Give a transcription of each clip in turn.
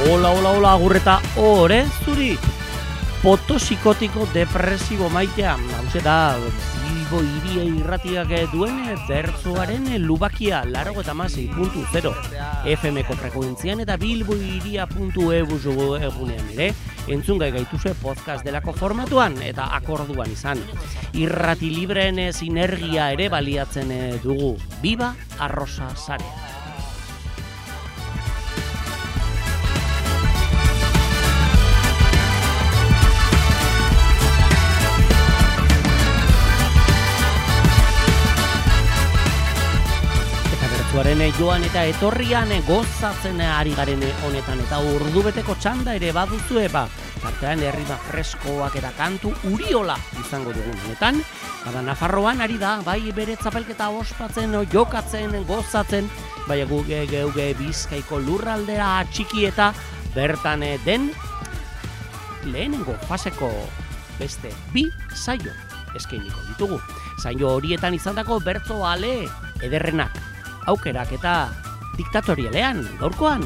Hola, agurreta ore zuri. Potosikotiko depresibo maitea. Hauze da, Bilbo Hiria Irratiak duen bertsoaren lubakia 96.0 FM-ko frekuentzian eta bilbohiria.eu egunean ere entzungai gaituzue podcast delako formatuan eta akorduan izan. Irrati libreen sinergia ere baliatzen dugu. Viva Arrosa Sarea. Joan eta etorrian gozatzen ari garen honetan eta ordubeteko txanda ere baduzue tartean herrima freskoak eta kantu uriola izango dugun honetan. Bada Nafarroan ari da, bai bere txapelketa ospatzen, jokatzen, gozatzen, bai geuge Bizkaiko lurraldera txiki eta bertan den lehenengo faseko beste 2 saio eskainiko ditugu. Saio horietan izandako bertso ale ederrenak. Aukerak eta diktatorialean, gaurkoan,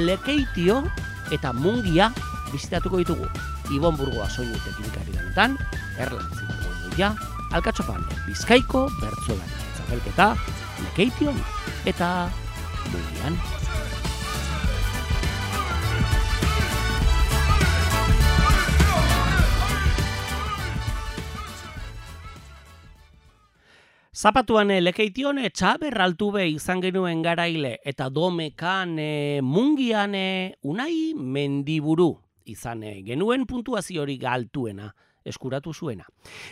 Lekeitio eta Mungia bizitatuko ditugu. Ibon Burgoa soinu teknikari danetan, Erlantzi Burgoia, Alkatxopan, Bizkaiko bertsolari txapelketa, Lekeition eta Mungian. Zapatuan Lekeition Txaber Altube izan genuen garaile eta Domekan Mungian Unai Mendiburu izan genuen puntuaziorik altuena eskuratu zuena.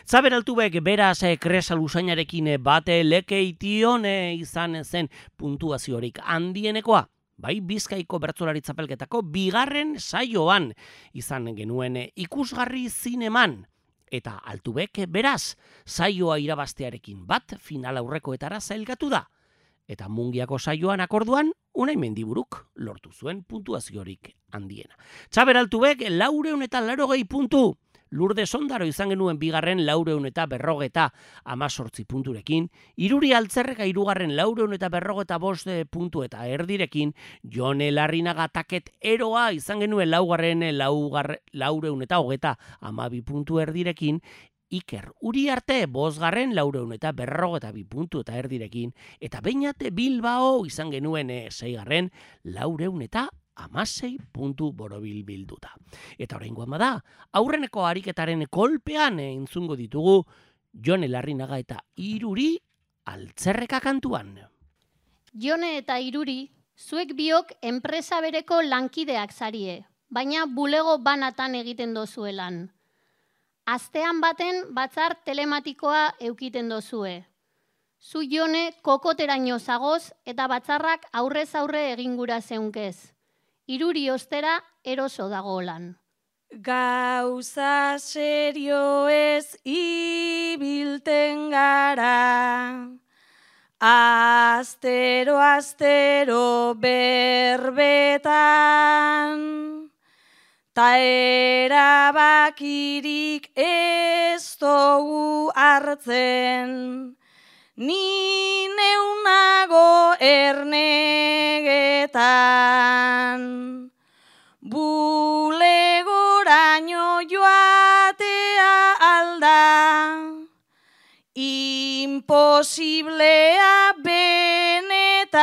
Txaber Altubek beraz kresa lusainarekin bate Lekeition izan zen puntuaziorik handienekoa. Bai Bizkaiko bertsolari txapelketako 2. saioan izan genuen ikusgarri zineman. Eta Altubek beraz, saioa irabaztearekin bat final aurrekoetara zailgatu da. Eta Mungiako saioan akorduan, Unai Mendiburuk lortu zuen puntuaziorik handiena. Txaber Altubek 480 puntu. Lurde Sondaro izan genuen 2. 418 punturekin, Iruri Altzerreka 3. 445 puntu eta erdirekin, Jone Larrinaga Taket Eroa izan genuen 4. 412 puntu erdirekin, Iker Uriarte 5. 452 puntu eta erdirekin, eta Beñate Bilbao izan genuen 6. 416 puntu borobil bilduta. Eta oraingoan bada, aurreneko ariketaren kolpean entzungo ditugu Jone Larrinaga eta Iruri Altzerreka kantuan. Jone eta Iruri, zuek biok enpresa bereko lankideak zarie, baina bulego banatan egiten dozuelan. Astean baten batzar telematikoa eukiten dozue. Zu Jone kokoteraino zagoz eta batzarrak aurrez aurre egingura zeunkez. Iruri ostera eroso dagolan. Gauza serio ez ibilten gara, astero berbetan, ta erabakirik ez dugu hartzen, ni neunago ernegetan. Bulegoraino joatea alda, imposiblea benetan.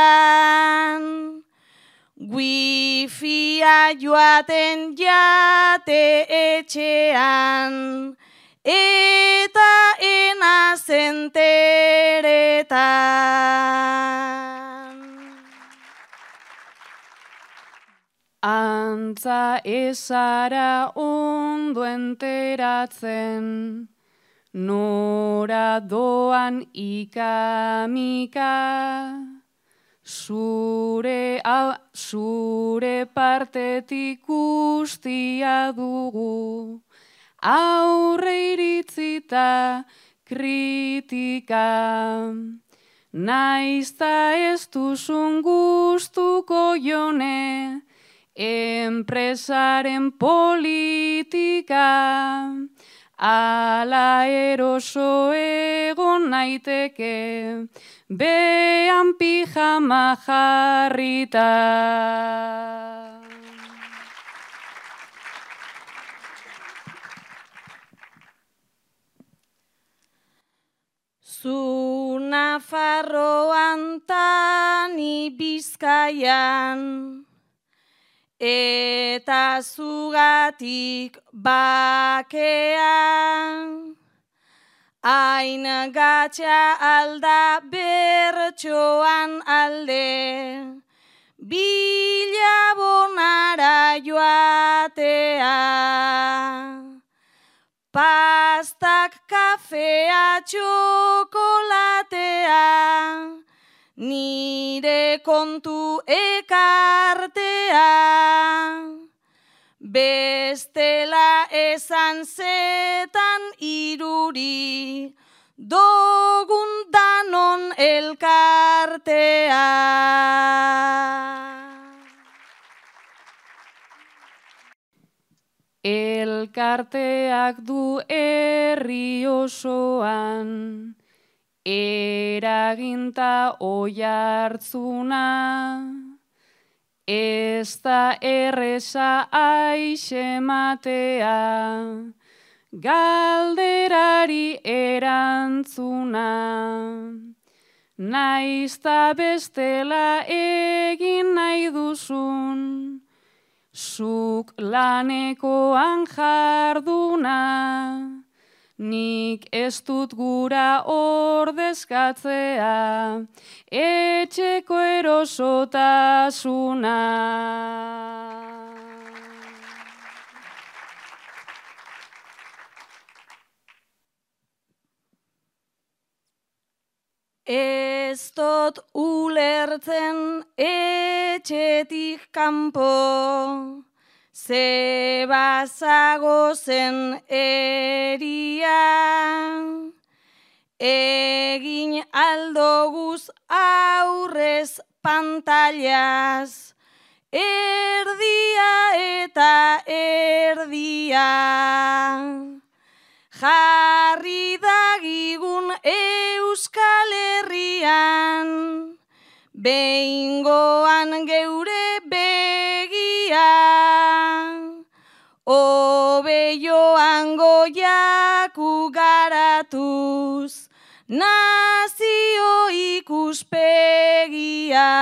Wifia joaten jate etxean, eta enazenteretan. Antza ezara ondo enteratzen, nora doan ikamika, zure partetik guztia dugu, aurre iritzita kritika. Naizta ez duzun gustuko Jone, enpresaren politika, ala eroso egon naiteke, behan pijama jarrita. Nafarroan tani Bizkaian, eta zugatik bakean, hain gatxa alda bertsoan alde, bilabonara joatea. Pastak, kafea, txokolatea, nire kontu ekartea. Bestela esan zetan iruri, dogun danon elkartea. Elkarteak du herri osoan, eraginta oihartzuna, ez da erreza aixematea, galderari erantzuna. Naizta bestela egin nahi duzun, zuk lanekoan jarduna, nik ez dut gura ordezkatzea, etxeko erosotasuna. Ez dut ulertzen etxetik kanpo, ze bazagozen eria, egin aldoguz aurrez pantailaz, erdia eta erdia. Jarri dagigun Euskal Herrian, behingoan geure begia, hobe joango jaku garatuz, nazio ikuspegia.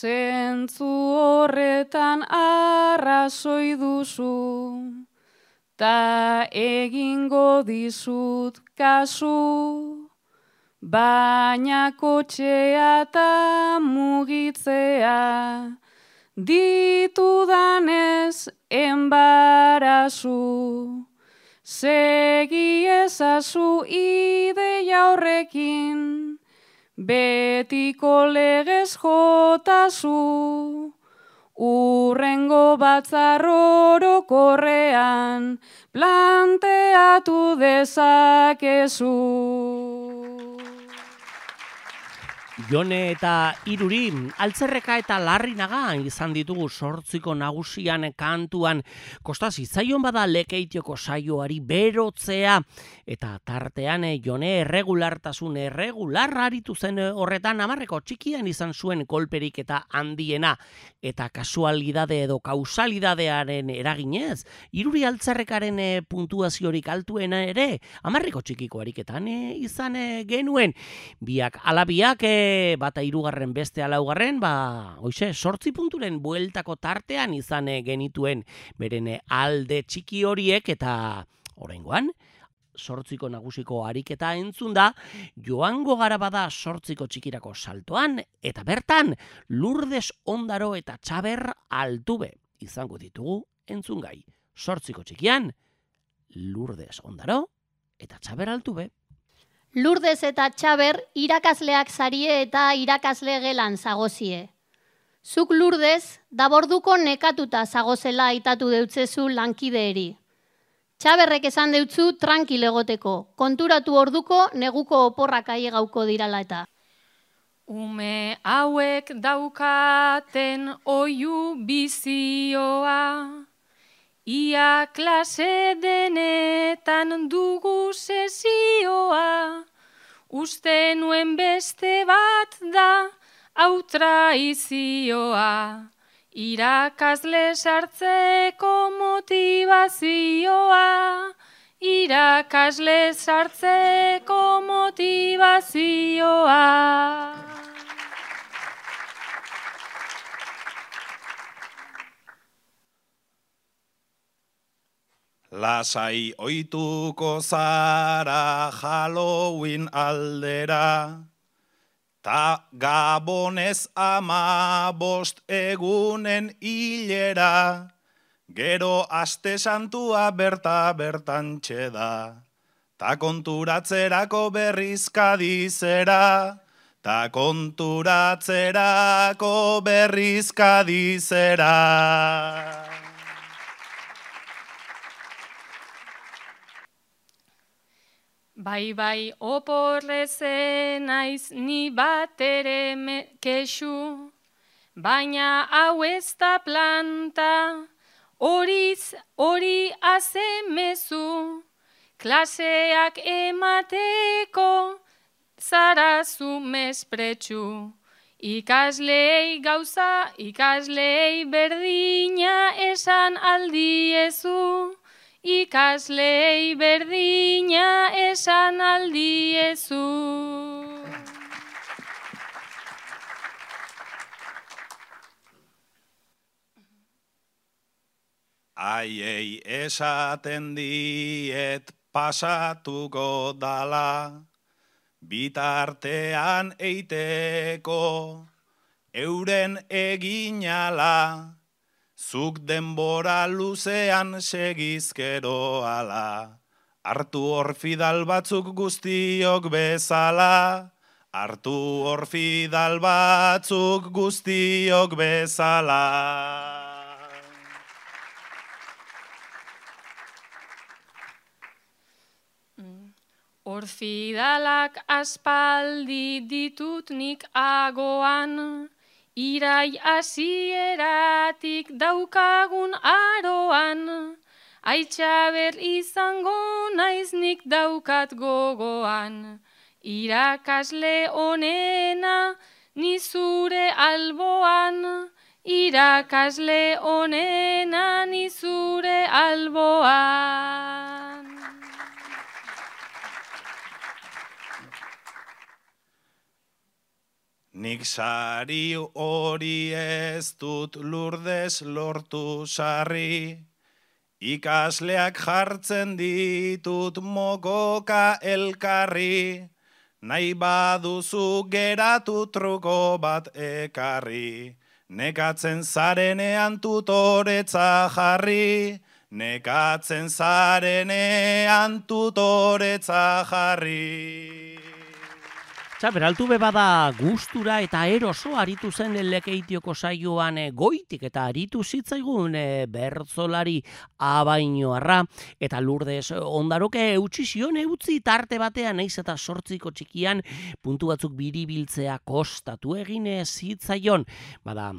Zentzu horretan arrazoi duzu, ta egingo dizut kasu, baina kotxea ta mugitzea, ditudanez enbarazu, segi ezazu ideia horrekin, betiko legez jotazu, urrengo batzar orokorrean planteatu dezakezu. Jone eta Iruri, Altzerreka eta Larrinaga izan ditugu 8 nagusian kantuan. Kosta zitzaion bada Lekeitioko saioari berotzea, eta tartean Jone erregular aritu zen horretan, 10 txikian izan zuen kolperik eta handiena, eta kasualidade edo kausalidadearen eraginez, Iruri Altzerrekaren puntuaziorik altuena ere 10 txikiko ariketan izan genuen. Biak alabiak bata 3, beste 4, hoize 8 punturen bueltako tartean izan genituen beren alde txiki horiek, eta oraingoan 8 nagusiko ariketa entzun da, joango gara bada 8 txikirako saltoan, eta bertan Lurdes Ondaro eta Txaber Altube izango ditugu entzungai. 8 txikian Lurdes Ondaro eta Txaber Altube. Lurdes eta Txaber irakasleak zarie eta irakasle gelan zagozie. Zuk Lurdes, daborduko nekatuta zagozela aitatu deutzezu lankideeri. Txaberrek esan deutzu tranquil egoteko, konturatu orduko neguko oporrak aiegauko dirala eta. Ume hauek daukaten oihu bizioa, ia klase denetan dugu sesioa, uste nuen beste bat da hau traizioa, Irakasle sartzeko motivazioa, irakasle sartzeko motivazioa. Lasai ohituko zara Halloween aldera, ta Gabonez 15 egunen hilera, gero aste santua bertantxe da, ta konturatzerako berriz Kadizera, ta konturatzerako berriz Kadizera. Bai, oporrezen naiz ni batere kexu, baina hau ez da planta, hori azemezu, klaseak emateko zarazu mespretxu. Ikaslei gauza, ikaslei berdina esan aldiezu, ikaslei berdina esan aldiezu. Aiei esaten diet pasatuko dala, bitartean eiteko euren eginala, zuk denbora luzean segizkero ala, hartu hor fidal batzuk guztiok bezala, hartu hor fidal batzuk guztiok bezala. Orfidalak aspaldi ditut nik agoan, irai hasieratik daukagun aroan, aitzaber izango naiz nik daukat gogoan, irakasle onena ni zure alboan, irakasle onena ni zure alboan. Nik sari hori ez dut Lurdes lortu sarri, ikasleak jartzen ditut mokoka elkarri, nahi baduzu geratu truko bat ekarri, nekatzen zarenean tutoretza jarri, nekatzen zarenean tutoretza jarri. Beraltu bebada gustura eta eroso aritu zen Lekeitioko saioan goitik eta aritu zitzaigun bertzolari Abainoarra eta Lurdes Ondaroke eutsi zion eutzi tarte batean naiz eta 8 txikian puntu batzuk biribiltzea kostatu egin zitzaion. Bada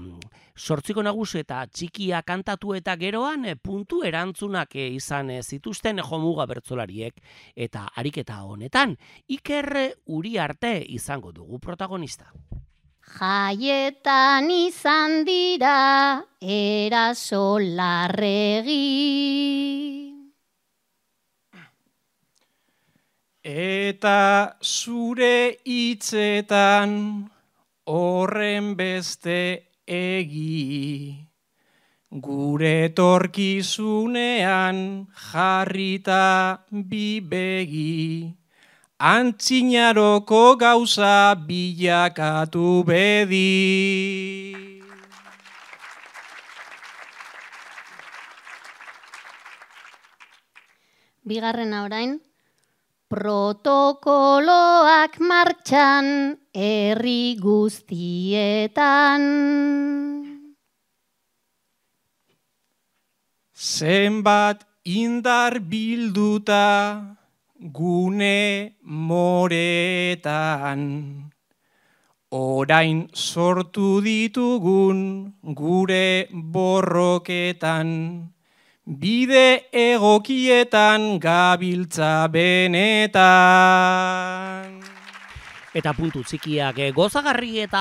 8 nagusi eta txikia kantatu eta geroan puntu erantzunak izan zituzten jomuga bertzolariek eta ariketa honetan Iker Uriarte izango dugu protagonista. Jaietan izan dira eraso larregi. Eta zure hitzetan horren beste egi, gure etorkizunean jarrita bi begi, antzinaroko gauza bilakatu bedi. Bigarrena orain, protokoloak martxan herri guztietan. Zenbat indar bilduta gune moretan, orain sortu ditugun gure borroketan, bide egokietan gabiltza benetan. Eta puntu txikiak gozagarri eta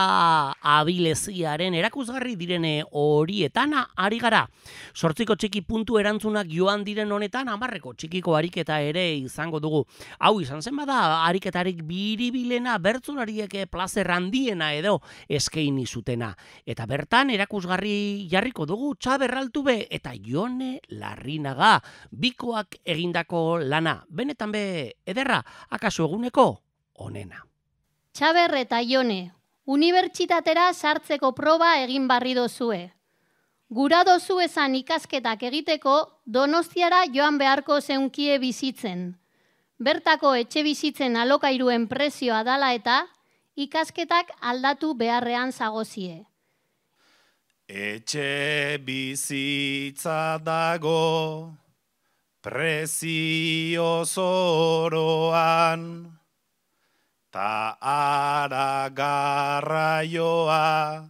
abileziaren erakusgarri direne horietan ari gara. 8 txiki puntu erantzunak joan diren honetan 10 txikiko ariketa ere izango dugu. Hau izan zen bada ariketarik biribilena bertsolariek plazer handiena edo eskaini zutena. Eta bertan erakusgarri jarriko dugu Txaber Altube eta Jone Larrinaga bikoak egindako lana. Benetan be ederra, akaso eguneko onena. Txaber eta Jone, unibertsitatera sartzeko proba egin barri dozue. Gura dozu esan ikasketak egiteko Donostiara joan beharko zeunkie bizitzen. Bertako etxe bizitzen alokairuen prezioa dala eta ikasketak aldatu beharrean zagozie. Etxe bizitza dago prezio zoroan, ta ara garraioa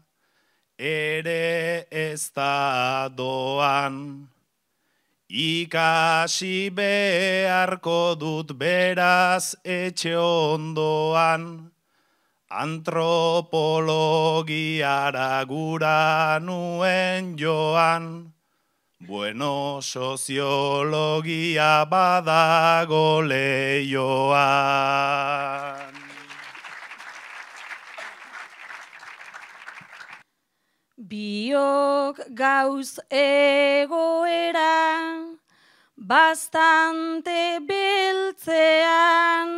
ere ez da doan. Ikasi beharko dut beraz etxe ondoan, antropologiara gura nuen joan, bueno, soziologia badago leioan. Biok gauz egoera, bastante beltzean,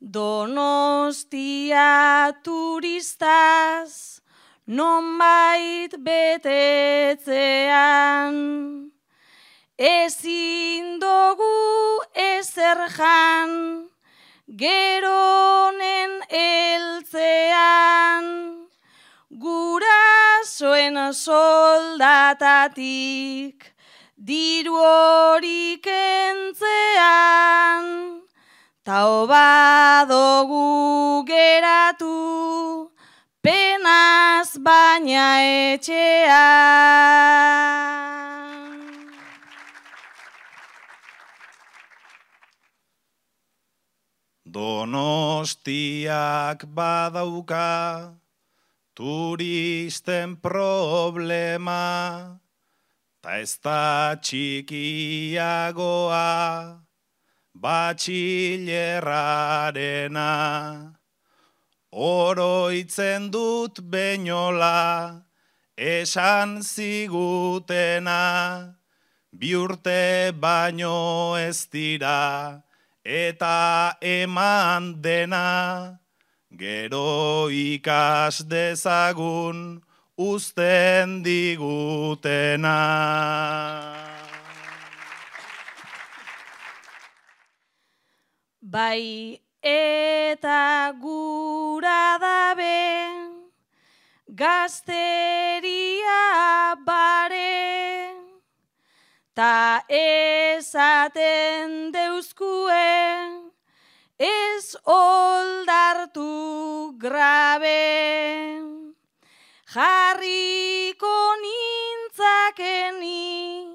Donostia turistaz, nonbait betetzean. Ezin dugu ezer jan, geronen eltzean, gurasoen soldatatik, diru hori kentzean, ta obadogu geratu, penaz baina etxean. Donostiak badauka turisten problema, ta ez da txikiagoa batxilerrarena. Oroitzen dut beinola esan zigutena, 2 urte baino ez dira eta eman dena, gero ikas dezagun uzten digutena. Bai eta gura dabe, gazteria bare, ta esaten deuzkue, ez oldartu grabe. Jarriko nintzakeni,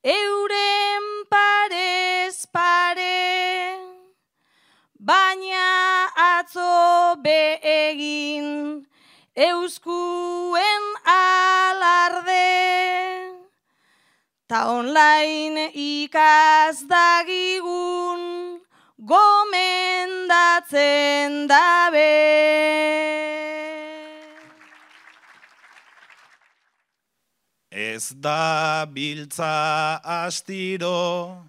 euren parez pare, baina atzo begin euskuen alarde, ta online ikas dagigun gomendatzen dabe. Ez da biltza astiro,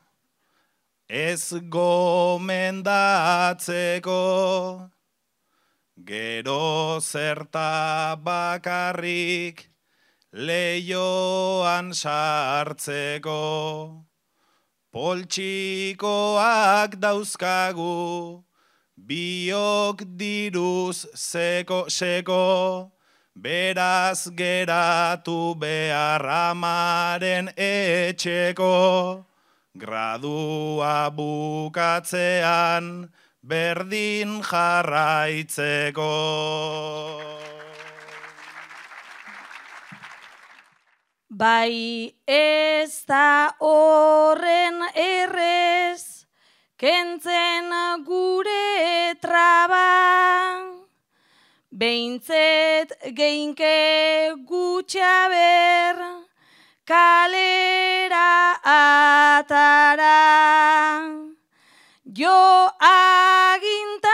ez gomendatzeko, gero zerta bakarrik leioan sartzeko. Poltsikoak dauzkagu, biok diruz seko, beraz geratu behar amaren etxeko. Gradua bukatzean berdin jarraitzeko. Bai ez da horren errez, kentzen gure traba, Behintzet geinke gutxa ber, kalera atara. Jo agintariei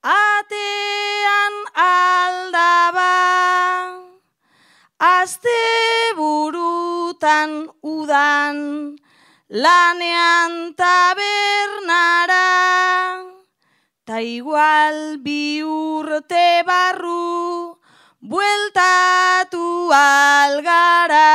atean aldaba, azte burutan udan lanean tabernara, ta igual 2 urte barru bueltatu algara.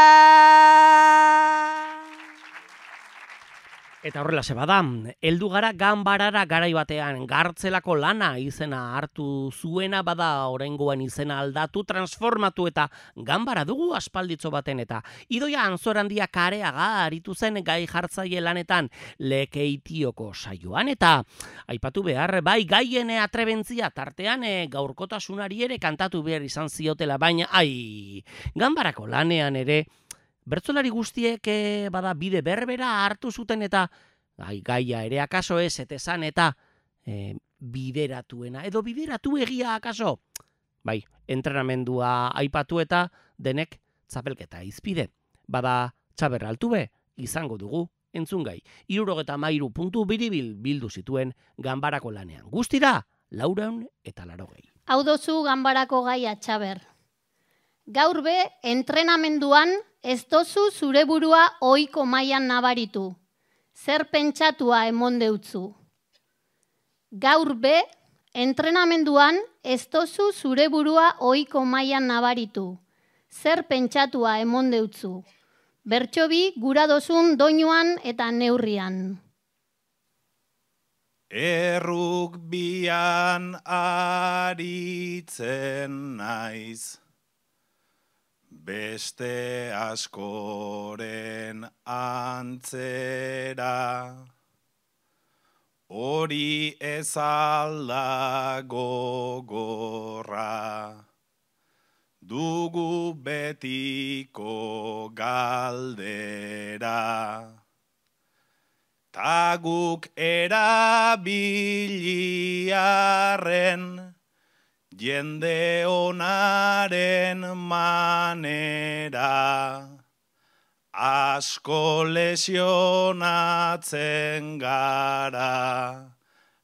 Eta horrela bada, heldu gara ganbarara garai batean, Gartzelako lana izena hartu zuena, bada oraingoan izena aldatu, transformatu eta ganbara dugu aspalditzo baten, eta Idoia Anzorandia Kareaga aritu zen gai jartzaile lanetan Lekeitioko saioan, eta aipatu behar, bai gaien atrebentzia tartean gaurkotasunari ere kantatu behar izan ziotela, baina ganbarako lanean ere bertsolari guztiek bada bide berbera hartu zuten, eta gaia ere akaso ez etezan eta bideratuena, edo bideratu egia akaso. Bai, entrenamendua aipatu eta denek txapelketa izpide. Bada txaberra altube izango dugu entzungai. 73 puntu biribil bildu zituen ganbarako lanean. Guztira, 480. Hau dozu ganbarako gaia, Txaber. Gaur be, entrenamenduan ez dozu zure burua ohiko mailan nabaritu. Zer pentsatua emon deutzu. Gaur be, entrenamenduan ez dozu zure burua ohiko mailan nabaritu. Zer pentsatua emon deutzu. Bertsobi gura dozun doinuan eta neurrian. Errukbian aritzen naiz, beste askoren antzera, hori ez alda gogorra, dugu betiko galdera, ta guk erabiliarren, jende onaren manera, asko lesionatzen gara,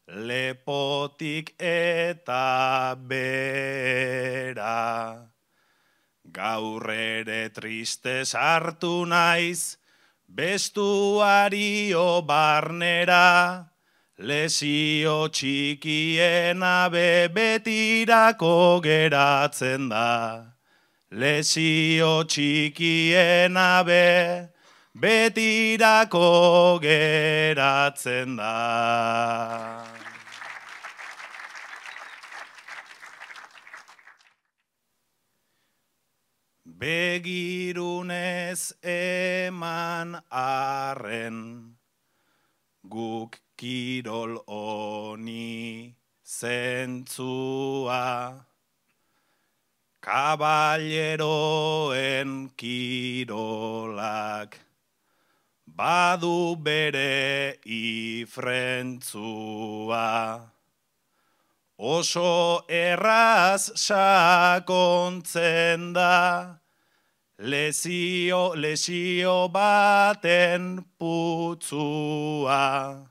lepotik eta bera. Gaur ere triste sartu naiz, bestuario barnera, lesio txikiena betirako geratzen da. Lesio txikiena betirako geratzen da. Begirunez eman arren, guk kirol honi zentzua, kaballeroen kirolak, badu bere ifrentzua. Oso erraz sakontzen da, lesio baten putzua.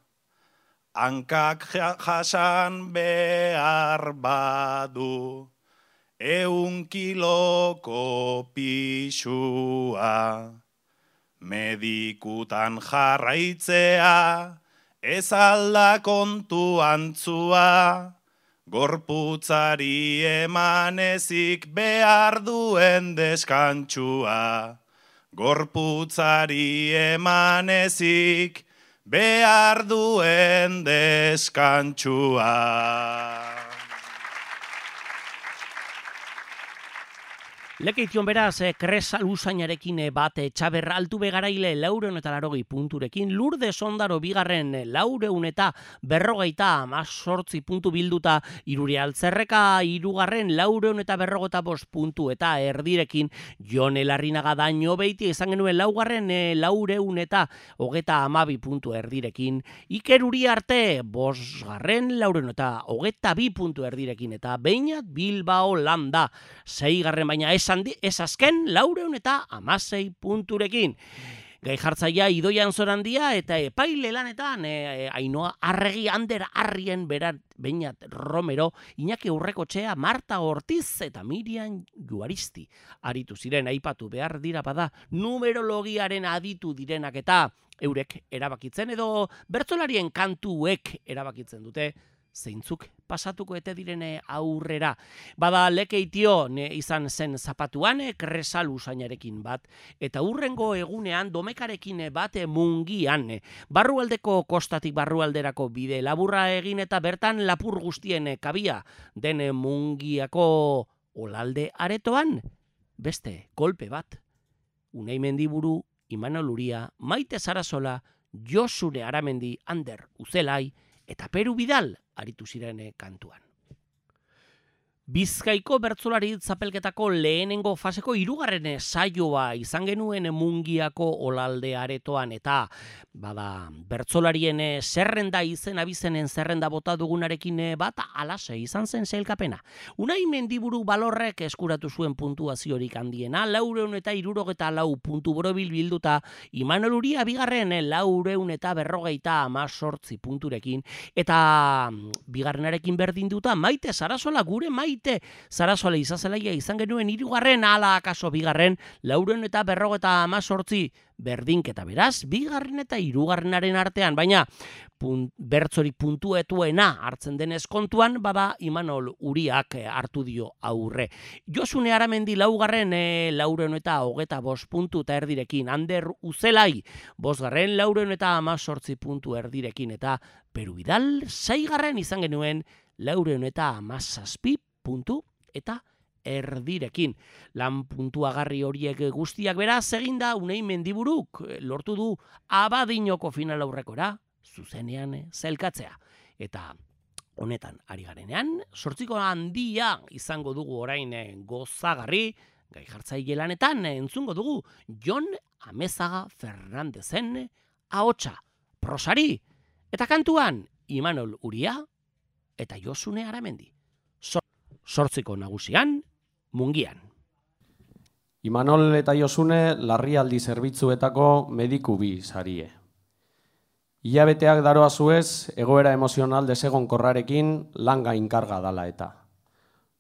Hankak jasan behar badu, 100 kiloko pixua. Medikutan jarraitzea, ez alda kontu antzua, gorputzari emanezik behar duen deskantsua. Gorputzari emanezik behar duen deskantsua. Lekeition beraz, Kresal usainarekin bat, Txaber Altuve garaile 480 punturekin, Lourdes Ondaro bigarren 448 puntu bilduta, Iruri Altzerreka hirugarren 455 puntu eta erdirekin, Jone Larrinaga Daño Beiti izan genuen laugarren 432 puntu erdirekin, Iker Uriarte bosgarren 422 puntu erdirekin eta Beñat Bilbao Landa seigarren baina ez azken 416 punturekin. Gai jartzaia Idoia Anzorandia eta epaile lanetan Ainoa Arregi, Ander Arrien, Beñat Romero, Iñaki Urrekotxea, Marta Ortiz eta Miriam Juaristi aritu ziren. Aipatu behar dira bada numerologiaren aditu direnak eta eurek erabakitzen edo bertsolarien kantuek erabakitzen dute zeintzuk pasatuko ete direne aurrera. Bada Lekeitio izan zen zapatuan Kresal usainarekin bat, eta hurrengo egunean Domekarekin bat Mungian. Barrualdeko kostatik barrualderako bide laburra egin eta bertan lapur guztien kabia den Mungiako olalde aretoan. Beste kolpe bat. Unai Mendiburu, Imanol Uria, Maite Sarasola, Josune Aramendi, Ander Uzelai eta Peru Bidal aritu ziren kantuan. Bizkaiko bertsolari txapelketako lehenengo faseko hirugarren saioa izan genuen Mungiako olalde aretoan eta bada bertsolarien zerrenda abizenen zerrenda bota dugunarekin bat alase izan zen sailkapena. Unai Mendiburu Balorrek eskuratu zuen puntuaziorik handiena 474 puntu borobil bilduta, Imanol Uria bigarren 458 punturekin eta bigarrenarekin berdinduta Maite Sarasola, gure Maite Sarasola izazelaia izan genuen hirugarren ala akaso bigarren 458 berdinketa beraz, bigarren eta hirugarrenaren artean, baina bertzorik puntuetuena hartzen denez kontuan, bada Imanol Uriak hartu dio aurre. Josune Aramendi laugarren 425 puntu eta erdirekin, Ander Uzelai bosgarren 418 puntu erdirekin eta Peru Bidal seigarren izan genuen 417 puntu eta erdirekin. Lan puntuagarri horiek guztiak beraz eginda Unai Mendiburuk lortu du Abadinoko final aurrekora zuzenean zelkatzea. Eta honetan ari garenean, 8 handia izango dugu orain gozagarri, gai jartzaile lanetan entzungo dugu Jon Amezaga Fernandezen ahotsa, prosari, eta kantuan Imanol Uria eta Josune Aramendi. 8 nagusian, Mungian. Imanol eta Josune larrialdi zerbitzuetako mediku bi sarie. Hilabeteak daroa zuez, egoera emozional desegonkorrarekin lan gainkarga dala eta.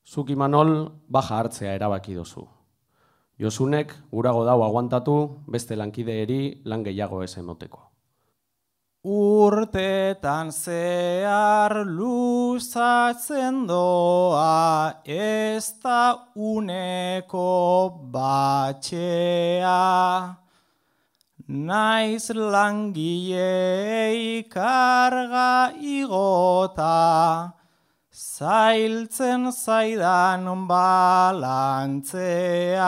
Zuk Imanol baja hartzea erabaki dozu. Josunek gurago dau aguantatu beste lankideeri lan gehiago ez emoteko. Urtetan zehar luzatzen doa, ez da uneko batxea. Naiz langileei karga igota, zailtzen zaidan balantzea.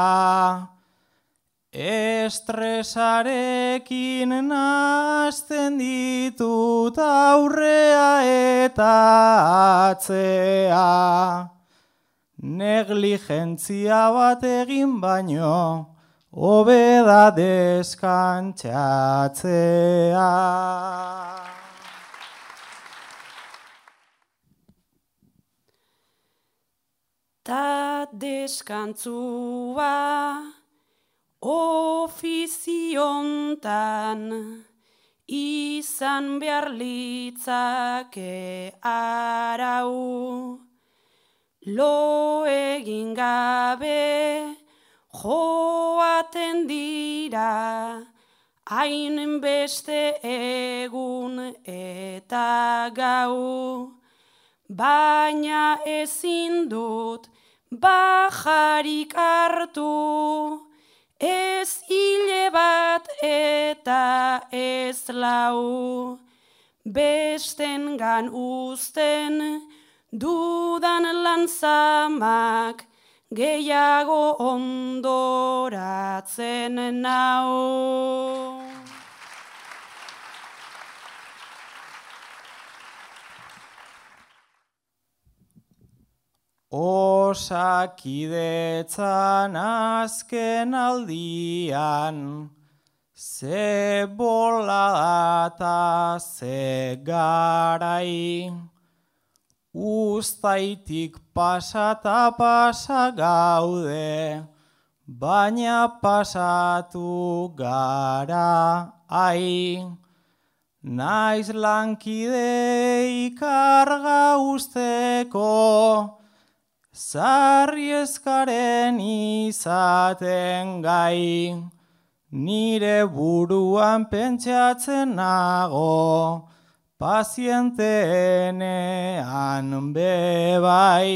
Estresarekin nazten ditut aurrea eta atzea. Negligentzia bat egin baino, hobe da deskantxatzea. Ta deskantzua ofiziontan izan behar litzake arau. Lo egin gabe joaten dira, hain beste egun eta gau. Baina ezin dut bajarik hartu, ez hile bat eta ez lau, bestengan uzten dudan lantzamak gehiago ondoratzen nau. Osakidetzan azken aldian, ze bola eta ze garai, uztaitik pasata pasa gaude, baina pasatu gara ai. Naiz lankide ikarga usteko, sarrieskaren izaten gai, nire buruan pentsatzen nago, pazienteenean bebai.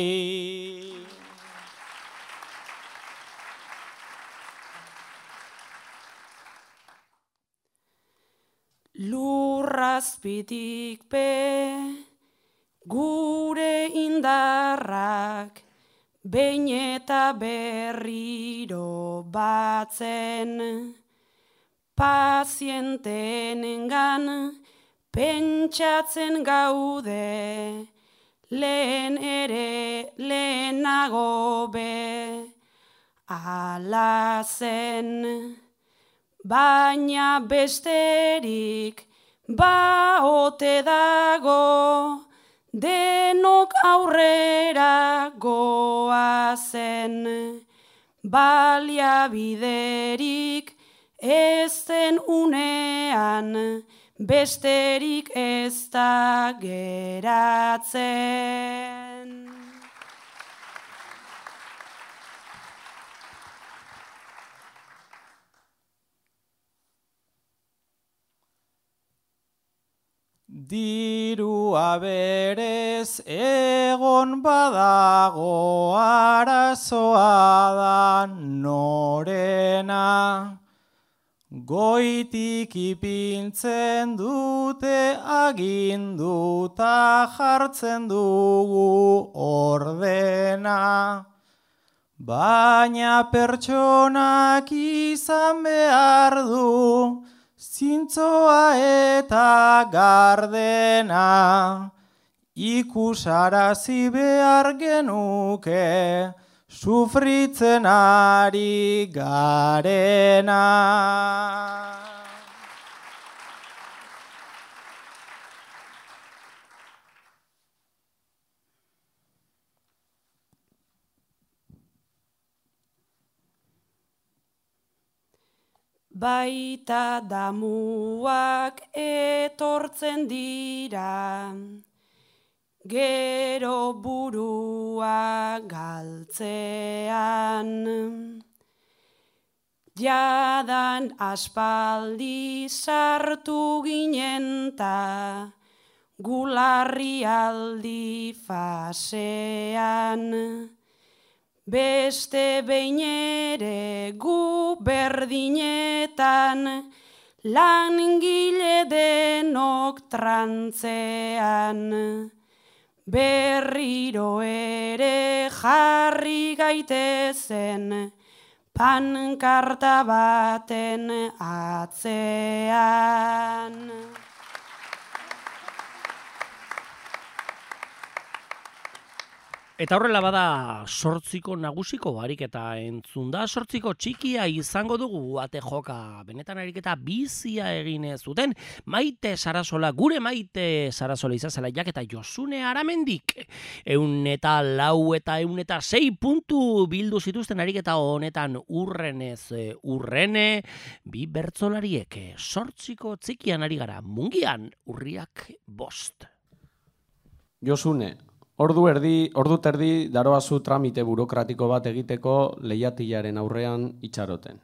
Lurrazpitik gure indarrak, behin eta berriro batzen, pazienteenengan pentsatzen gaude, lehen ere lehenago be, ala zen, baina besterik baote dago, denok aurrera goazen, baliabiderik ez den unean, besterik ez da geratzen. Dirua berez egon badago, arazoa da norena. Goitik ipintzen dute aginduta jartzen dugu ordena. Baina pertsonak izan behar du, zintzoa eta gardena, ikusarazi behar genuke, sufritzen ari garena. Baita damuak etortzen dira, gero burua galtzean. Jadan aspaldi sartu ginen ta, gularrialdi fasean. Beste behin ere gu berdinetan, langile denok trantzean. Berriro ere jarri gaitezen, pankarta baten atzean. Eta horrela bada 8 nagusiko ariketa entzun da, 8 txikia izango dugu ate joka. Benetan ariketa bizia egin zuten Maite Sarasola, gure Maite Sarasola izazela jaketa Josune Aramendik. 104 eta 106 puntu bildu zituzten ariketa honetan urrenez urrene, bi bertsolariek 8 txikian ari gara, Mungian Urriak 5. Josune, ordu terdi daroazu tramite burokratiko bat egiteko lehiatilaren aurrean itxaroten.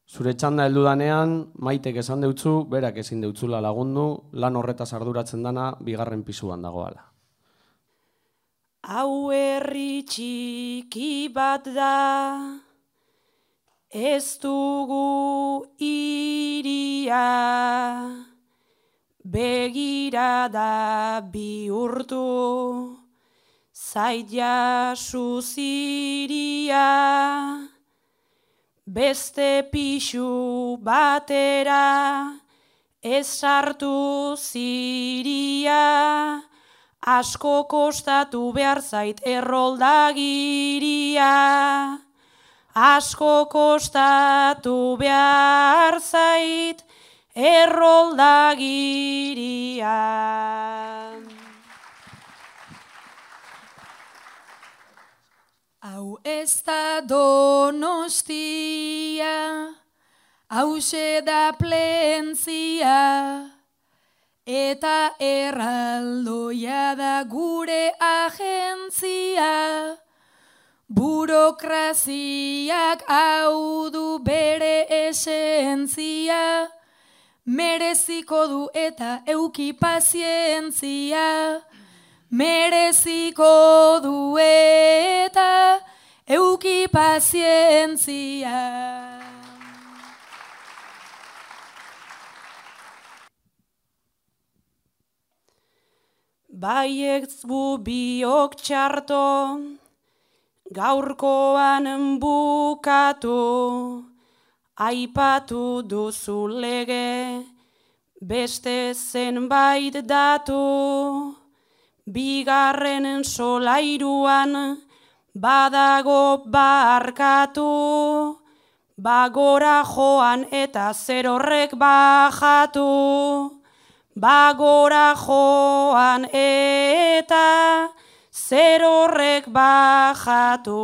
Zure txanda heldudanean, Maitek esan deutzu, berak ezin deutzula lagundu, lan horretaz arduratzen dana bigarren pisuan dagoala. Hau herri txiki bat da, ez dugu iria, begirada bihurtu, zait jasu ziria, beste pixu batera, ez sartu ziria, asko kostatu behar zait erroldagiria, asko kostatu behar zait erroldagiria. Hau ez da Donostia, hauxe da Plentzia, eta erraldoia da gure agentzia. Burokraziak hau du bere esentzia, mereziko du eta euki pazientzia, mereziko du eta euki pazientzia. Baietz bu biok txarto, gaurkoan bukatu, aipatu duzu lege, beste zenbait datu, bigarren solairuan badago barkatu, bagora joan eta zer horrek bajatu, bagora joan eta zer horrek bajatu.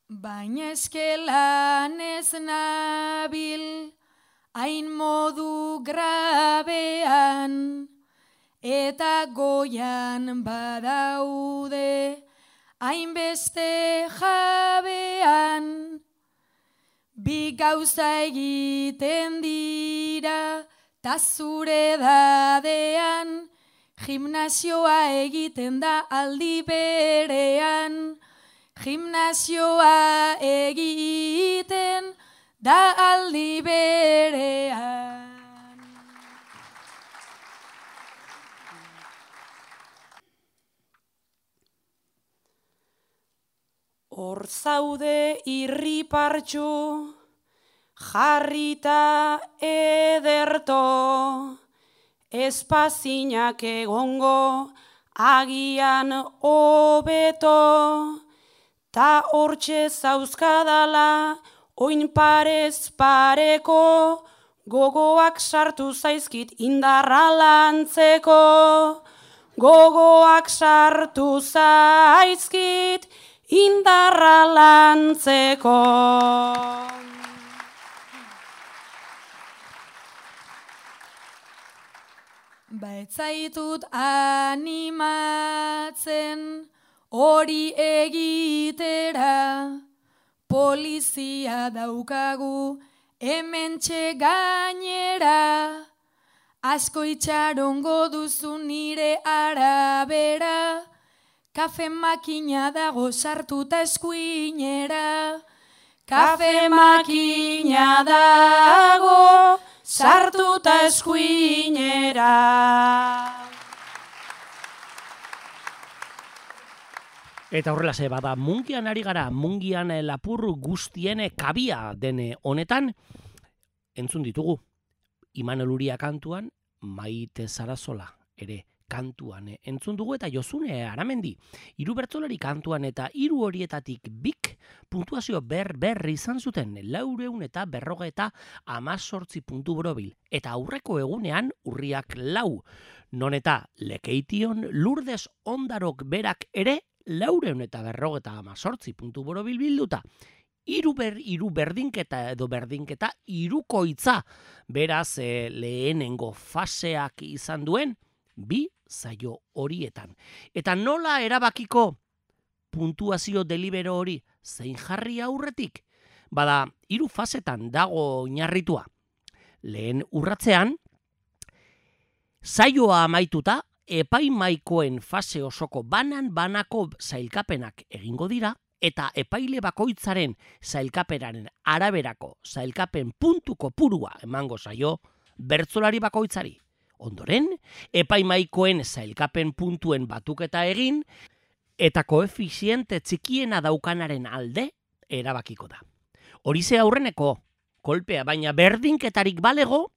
Baina eskelan ez nabil, hain modu grabean, eta goian badaude, hainbeste jabean. Bi gauza egiten dira, ta zure dadean, gimnasioa egiten da aldi berean, gimnasioa egiten da aldi berean. Hor zaude irripartxu, jarrita ederto, espazinak egongo agian hobeto, ta hortxe zauzkadala oin parez pareko, gogoak sartu zaizkit indarra lantzeko, gogoak sartu zaizkit indarra lantzeko. Baitzaitut animatzen hori egitera, polizia daukagu hementxe gainera, asko itxarongo duzu nire arabera, kafe makina dago sartuta eskuinera, kafe makina dago sartuta eskuinera. Eta horrela ze bada, mungian ari gara, mungian lapur guztien kabia den honetan, entzun ditugu, Imanol Uria kantuan, Maite Sarasola ere kantuan entzun dugu, eta Josune Aramendi, 3 bertsolari kantuan, eta 3 horietatik bik puntuazio berri izan zuten, 418 puntu borobil, eta aurreko egunean urriak 4, non eta Lekeition Lourdes Ondarok berak ere 418 puntu borobil bilduta. Hiru berdinketa edo berdinketa hirukoitza, beraz lehenengo faseak izan duen 2 saio horietan. Eta nola erabakiko puntuazio delibero hori zein jarri aurretik? Bada, 3 fasetan dago oinarritua. Lehen urratzean, saioa amaituta, epaimaikoen fase osoko banako sailkapenak egingo dira, eta epaile bakoitzaren sailkapenaren araberako sailkapen puntu kopurua emango zaio bertsolari bakoitzari. Ondoren, epaimaikoen sailkapen puntuen batuketa egin, eta koefiziente txikiena daukanaren alde erabakiko da. Horize aurreneko kolpea, baina berdinketarik balego,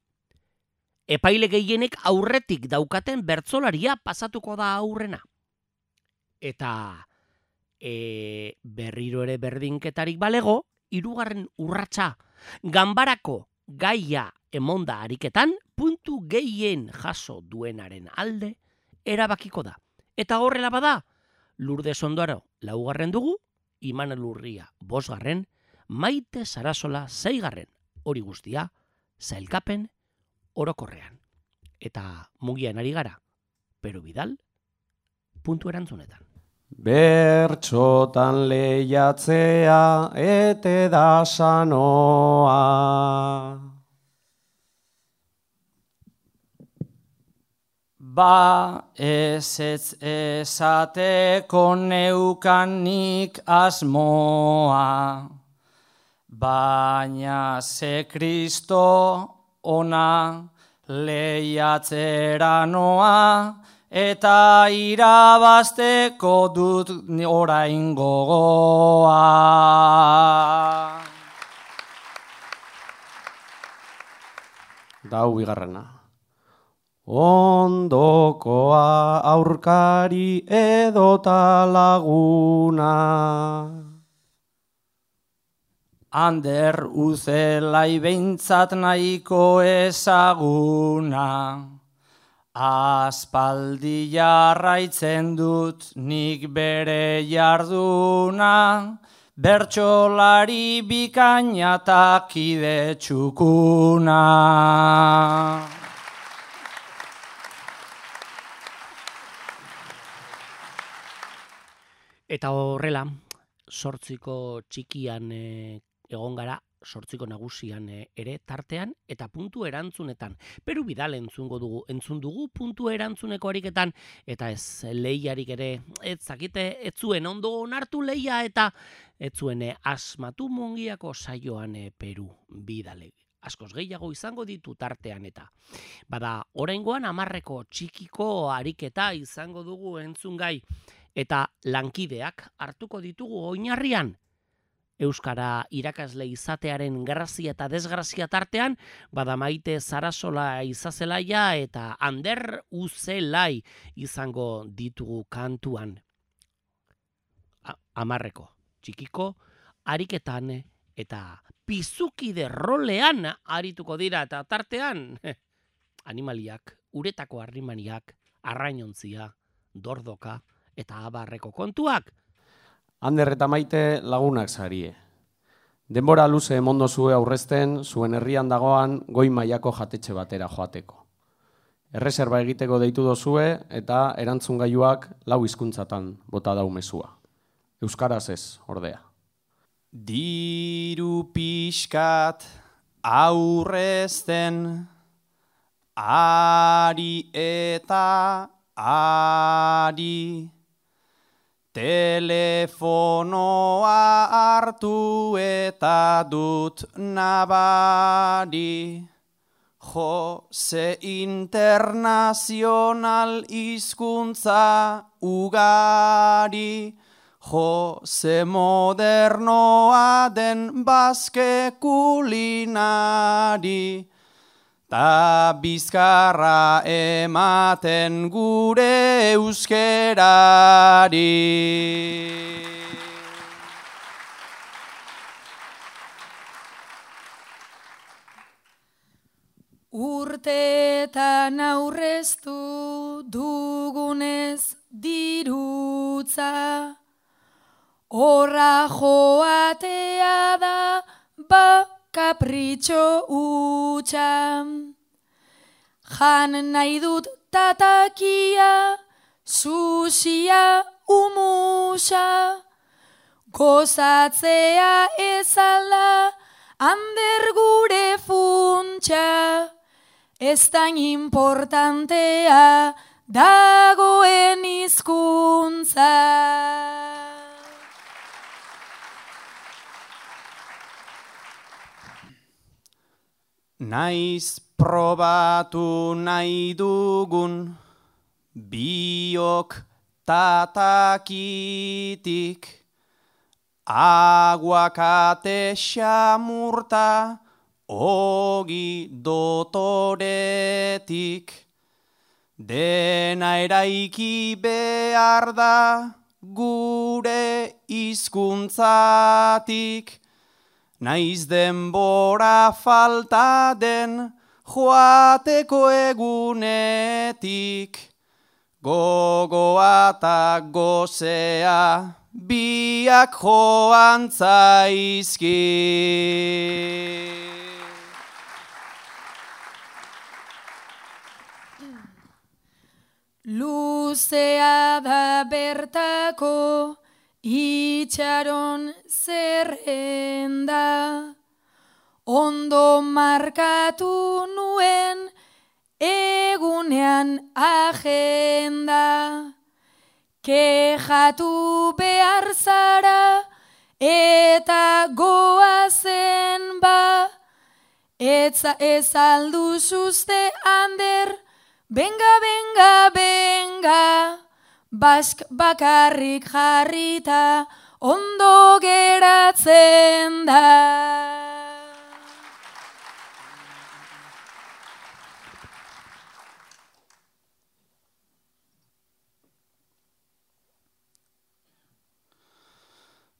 epaile gehienek aurretik daukaten bertsolaria pasatuko da aurrena. Eta berriro ere berdinketarik balego, 3. urratsa ganbarako gaia emonda ariketan puntu gehien jaso duenaren alde erabakiko da. Eta horrela bada, Lourdes Ondaro 4. dugu, Imanol Urria 5., Maite Sarasola 6. Hori guztia, sailkapen orokorrean. Eta mugian ari gara, Pero Vidal, puntu erantzunetan. Bertxotan lehiatzea ete da sanoa. Ba ez esateko neukanik asmoa, baina ze Kristo ona lehiatzera noa, eta irabazteko dut orain gogoa. Da bigarrena. Ondokoa aurkari edota laguna. Ander Uzelai behintzat nahiko ezaguna. Aspaldi jarraitzen dut nik bere jarduna, bertsolari bikaina eta kide txukuna. Eta horrela, 8 txikian egon gara, 8 nagusian ere tartean eta puntu erantzunetan. Pero Vidal entzun dugu puntu erantzuneko ariketan, eta ez lehiarik ere, ez zuen ondo onartu lehia eta ez zuen asmatu Mungiako saioan Peru Vidalek. Askoz gehiago izango ditu tartean eta. Bada, oraingoan 10 txikiko ariketa izango dugu entzungai, eta lankideak hartuko ditugu oinarrian. Euskara irakasle izatearen grazia eta desgrazia tartean, bada Maite Sarasola izazelaia eta Ander Uzelai izango ditugu kantuan. 10 txikiko ariketan eta pizukide rolean arituko dira, eta tartean animaliak, uretako harrimaniak, arrainontzia, dordoka eta abarreko kontuak. Ander eta Maite lagunak zarie. Denbora luze emondo zue aurrezten, zuen herrian dagoan goi mailako jatetxe batera joateko. Erreserba egiteko deitu dozue eta erantzungailuak 4 hizkuntzatan bota dau mezua. Euskaraz ez, ordea. Diru pixkat aurrezten, ari eta ari, telefonoa hartu eta dut nabari, Jose internazional hizkuntza ugari, Jose modernoa den bazke kulinari, ta bizkarra ematen gure euskerari. Urteetan aurreztu dugunez dirutza, horra joatea da kapritxo utxa. Jan nahi dut tatakia, susia, umusa, gozatzea ezala, Ander gure funtsa, ez da importantea dagoen hizkuntza. Naiz probatu nahi dugun biok tatakitik, aguakate xamurta ogi dotoretik, dena eraiki behar da gure hizkuntzatik, naiz denbora falta den joateko egunetik, gogoa eta gozea biak joan zaizki. Luzea da bertako itxaron zerrenda, ondo markatu nuen egunean agenda. Kejatu behar zara eta goazen ba, ez alduzuzte Ander, benga, benga, benga, bask bakarrik jarrita ondo geratzen da.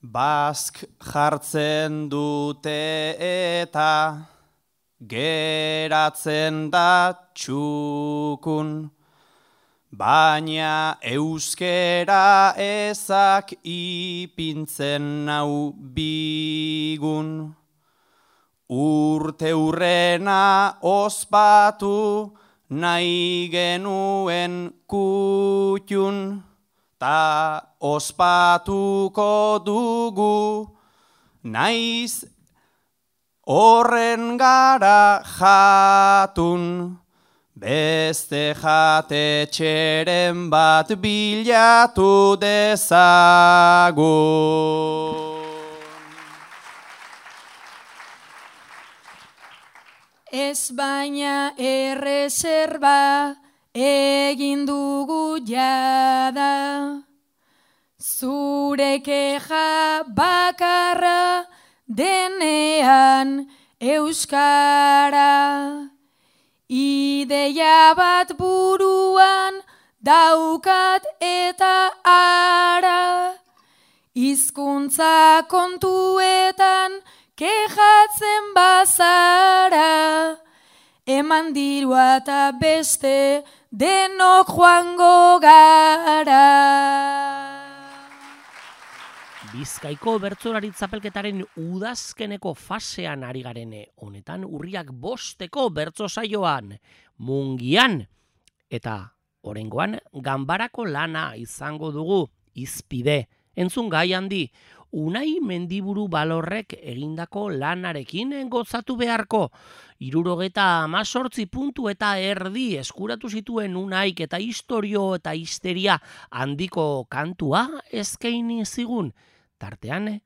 Bask jartzen dute eta geratzen da txukun, baina euskera ezak ipintzen nau bigun. Urte hurrena ospatu nahi genuen kutxun, ta ospatuko dugu naiz horren gara jatun, beste jatetxeren bat bilatu dezagun. Ez baina erreserba egin dugu jada, zure keja bakarra denean euskara. Ideia bat buruan daukat eta ara, hizkuntza kontuetan kejatzen bazara, eman dirua eta beste denok joango gara. Bizkaiko bertsolari txapelketaren udazkeneko fasean ari garene, honetan urriak 5 bertso saioan, Mungian, eta oraingoan ganbarako lana izango dugu, Izpide, entzun gai handi, Unai Mendiburu Balorrek egindako lanarekin gozatu beharko. 78 puntu eta erdi eskuratu zituen Unaik eta istorio eta histeria handiko kantua eskaini zigun. Tartean,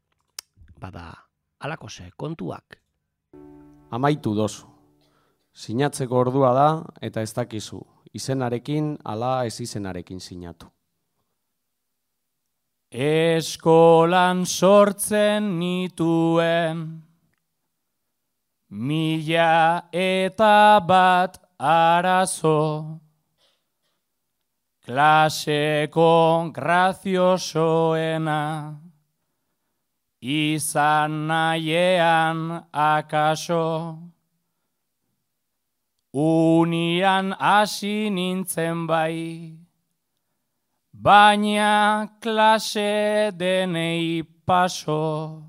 alakose kontuak. Amaitu dozu. Sinatzeko ordua da eta ez dakizu. Izenarekin ala ez izenarekin sinatu. Eskolan sortzen nituen 1001 arazo, klaseko graziosoena izan nahiean akaso, unian hasi nintzen bai, baina klase denei paso,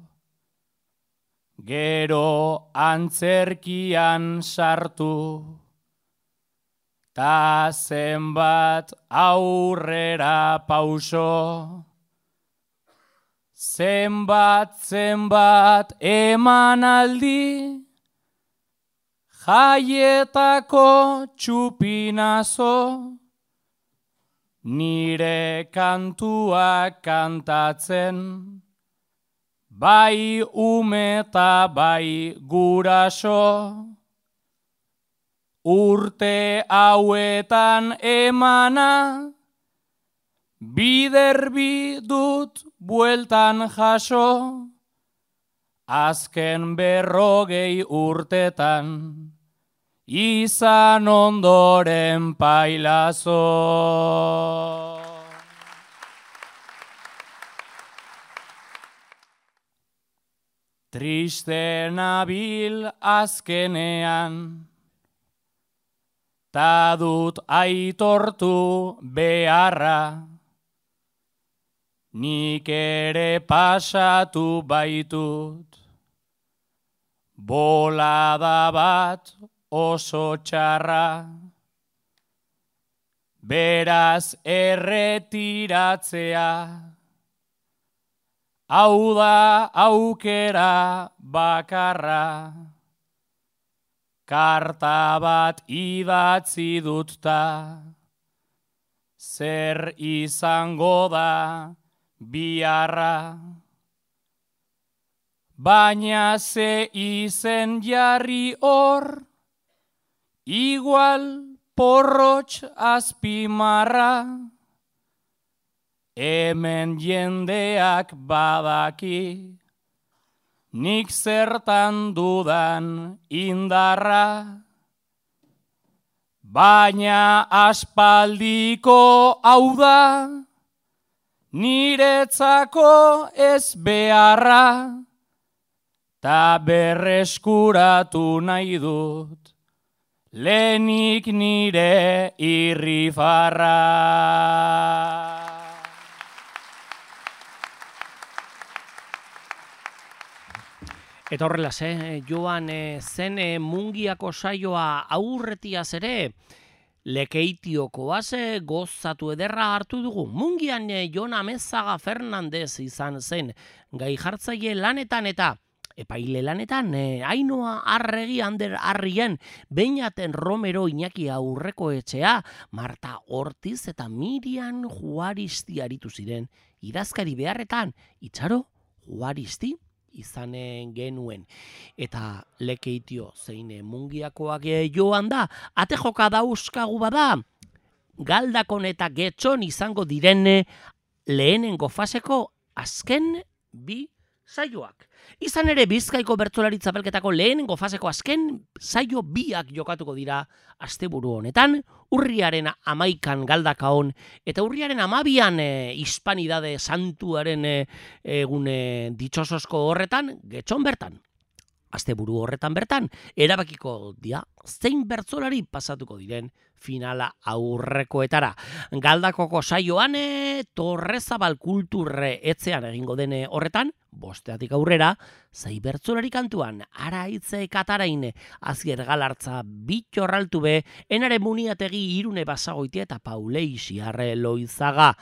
gero antzerkian sartu, ta zenbat aurrera pauso, zenbat emanaldi, jaietako txupinazo, nire kantuak kantatzen, bai ume eta bai guraso, urte hauetan emana, biderbi dut bueltan jaso, azken 40 urtetan, izan ondoren pailazo. Triste nabil azkenean, ta dut aitortu beharra, nik ere pasatu baitut, bolada bat oso txarra, beraz erretiratzea, hau da aukera bakarra, karta bat idatzi dut ta, zer izango da biharra. Baina ze izen jarri hor, igual porrotx azpimarra, hemen jendeak badaki, nik zertan dudan indarra. Baina aspaldiko hau da, niretzako ez beharra, ta berreskuratu nahi dut, lehenik nire irrifarra. Eta horrela, joan zen Mungiako saioa aurretiaz ere, Lekeitiokoaz gozatu ederra hartu dugu. Mungian Jon Amezaga Fernandez izan zen, gai jartzaile lanetan eta epaile lanetan, Ainoa Arregi Ander Arrien, Beñaten Romero Iñaki Aurrekoetxea, Marta Ortiz eta Miriam Juaristi aritu ziren, idazkari beharretan, Itxaro Juaristi izanen genuen. Eta Lekeitio zein Mungiakoak joan da, ate joka dauzkagu bada, Galdakon eta Getxon izango diren lehenengo faseko azken bi saioak. Izan ere Bizkaiko bertsolari txapelketako lehenengo faseko azken saio biak jokatuko dira asteburu honetan, urriaren 11an Galdakaon eta urriaren 12an Hispanidade Santuaren egun ditxosozko horretan Getxon bertan. Asteburu horretan bertan, erabakiko dia zein bertsolari pasatuko diren finala aurrekoetara. Galdakoko saioan Torrezabal Kulturre etxean egingo den horretan, 5 aurrera, zei bertsolari kantuan, Araitze Katarain, Azier Galartza, Bitxorraltu be, Enare Muniategi Irune Basagoitia eta Paulei Xiarre Loizaga.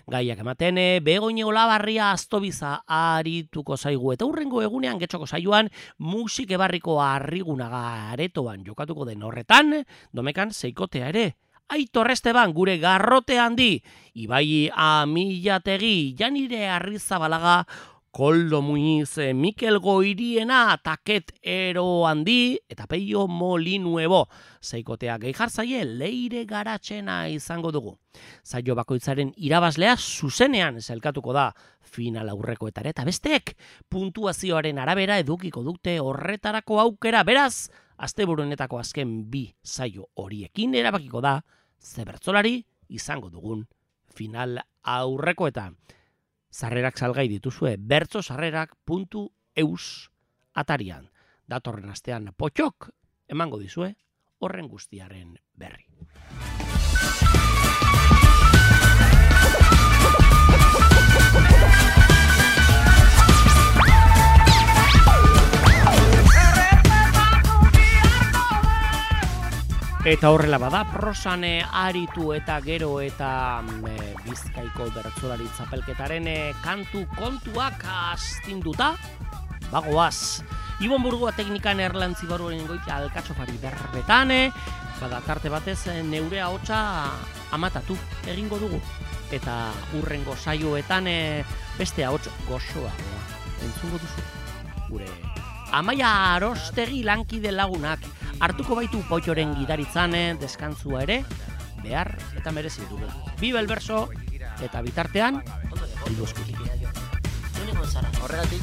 Gaiak ematen, Begoñe Olabarria Aztobiza arituko zaigu eta urrengo egunean Getxoko saioan Musike Barriko Arrigunaga aretoan jokatuko den horretan, domekan seikotea ere. Aitor Esteban gure garrote handi, Ibai Amilategi, Janire Arrizabalaga, Koldo Muñiz, Mikel Goiriena, Taket Ero Handi, eta Peio Molinuebo. Zeikotea gehi jartzaile Leire Garatxena izango dugu. Zaio bakoitzaren irabazlea zuzenean zelkatuko da final aurrekoetara, eta besteek puntuazioaren arabera edukiko dute horretarako aukera. Beraz, asteburuenetako azken bi saio horiekin erabakiko da ze bertsolari izango dugun final aurrekoetan. Sarrerak salgai dituzue bertsosarrerak.eus atarian. Datorren astean potxok emango dizue horren guztiaren berri. Eta horrela bada, prosan aritu eta gero eta Bizkaiko bertsolari txapelketaren kantu kontuak astinduta, bagoaz. Ibon Burgoa teknikan erlantzi baruaren goitia alkatxofari berbetan, bada tarte batez neure ahotsa amatatu egingo dugu. Eta urrengo saioetan beste ahots gozoa entzungo duzu. Gure Amaia Arostegi lankide lagunak, hartuko baitu Poitxoren gidaritzan deskantzua ere, behar eta merezi dugu. Biba el verso eta bitartean, bildu eskutik. Horregatik,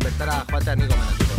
bertara joatea niko menatuko.